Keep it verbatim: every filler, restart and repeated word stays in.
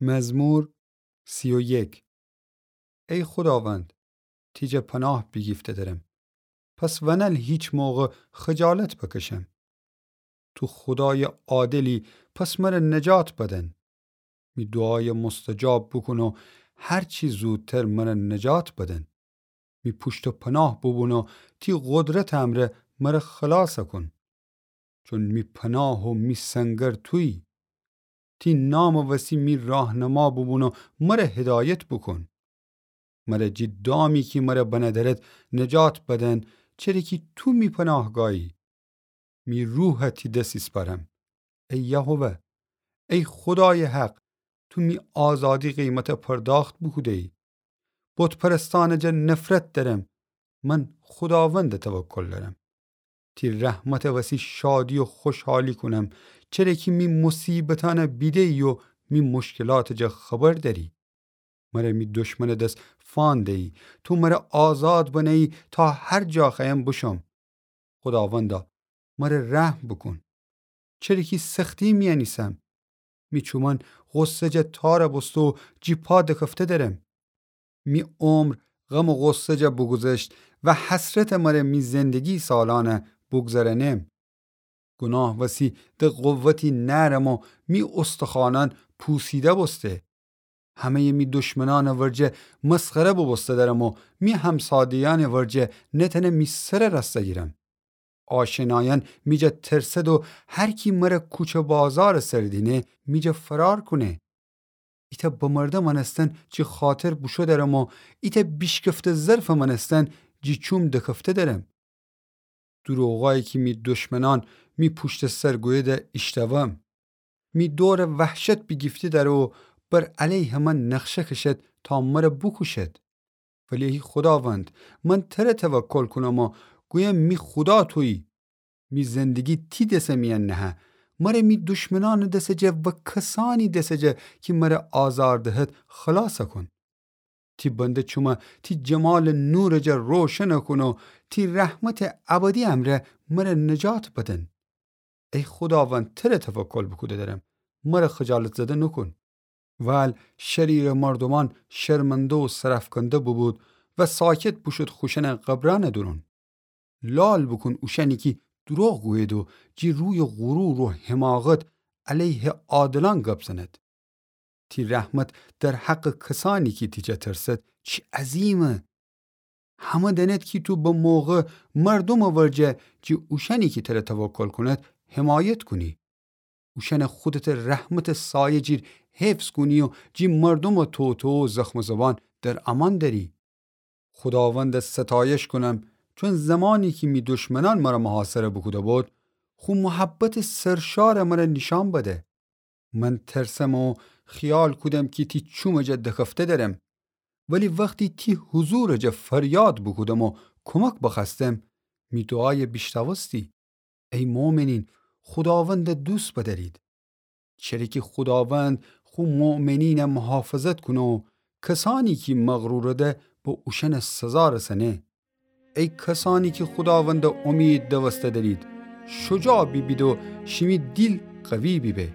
مزمور سی و یک. ای خوداوند، تی جا پناه بیگیفته درم. پس ونل هیچ موقع خجالت بکشم. تو خودای عادلی، پس مره نجات بدن. می دوعای مستجاب بوکون و هرچی زودتر مره نجات بدن. می پوشت و پناه بوبون و تی قدرت امره مره خلاص کون. چون می پناه و می سنگر تویی. تی نام وسی می راهنما بوبون و مره هدایت بوکون. مره جی دامی کی مره بنه درد نجات بدن، چره کی تو می پناهگاهی. می روح تی دس ایسپارم. ای یهوه، ای خودای حق، تو می آزادی قیمت پرداخت بوکوده‌ای. بت پرستان جا نفرت درم. من خوداوند توکل درم. تی رحمت وسی شادی و خوشحالی کونم، چره کی می مصیبتان بیده‌ای و می مشکلات جا خبر دری. مره می دشمن دس فان دیی، تو مره آزاد بنه‌ای تا هر جا خوأیم بشم. خوداوندا، مره رحم بوکون. چره کی سختی میأن ایسم. می چومأن غصه جا تار بوسته و جی پا دکفته درم. می عمر غم و غصه جا بوگوذشت و حسرت مره می زندگی سالأن بوگذرأنم. گوناه وسی ده قوتی نأرم و می استخوانأن پوسیده بوسته. همه‌ی می دشمنأن ورجه مسخره بوبوسته درم و می همساده‌یأن ورجه نتأنه می سر رأسته گیرم. آشنایأن می جا ترسد و هر کی مره کوچه بازار سر دینه می جا فرار کونه. ایتأ بمرده مأنستن جی خاطر بوشو درم و ایتأ بیشکفته ظرف مأنستن جی چوم دکفته درم. دروغایی کی می دشمنأن می پوشت سر گویده ایشتاوم. می دور وحشت بیگیفته دره و بر علیه من نقشه کشد تا مره بوکوشد. ولی ای خوداوند، من تره توکل کونم و گویم می خودا تویی. می زندگی تی دس میأن نهه. مره می دشمنأن دس جا و کسأنی دس جا کی مره آزار دهد خلاص کون. تی بنده چومه تی جمال نور جا روشن کون و تی رحمت ابدی امره مره نجات بدن. ای خوداوند، تره توکل بوکوده درم، مره خجالت زده نوکون. وال شریر مردومأن شرمنده و سرأفکنده بوبود و ساکت بوشود خوشأنٚ قبرأنٚ دورون. لال بوکون اوشأنی کی دروغ گوید و جی روی غرور و حماقت علیه عادلأن گب زند. تی رحمت در حقٚ کسأنی کی تی جا ترسد چی عظیمه! همه دأند کی تو به موقع مردومٚ ورجه جی اوشأنی کی تره توکل کونید حمایت کونی. اوشأنه خودتٚ رحمتٚ سایه جیر حفظ کونی و جی مردومٚ توطئه و زخم زبان در امان دأری. خوداوندٚ ستایش کونم، چون زمانی کی می دشمنأن مره محاصره بوکوده بود، خو محبتٚ سرشار مره نیشأن بده. من ترسم و خیال کودم کی تی چومٚ جا دکفته درم. ولی وختی تی حضورٚ جا فریاد بوکودم و کمک بخوأستم، می دوعای بیشنوستی. ای مؤمنین، خوداوند دوست بدأرید. چره کی خوداوند خو مؤمنین محافظت کونه و کسأنی کی مغرورده به اوشأن سزا رسأنه. ای کسأنی کی خوداوند امید دوسته دأرید، شجاع بیبید و شیمی دیل قوی بیبه.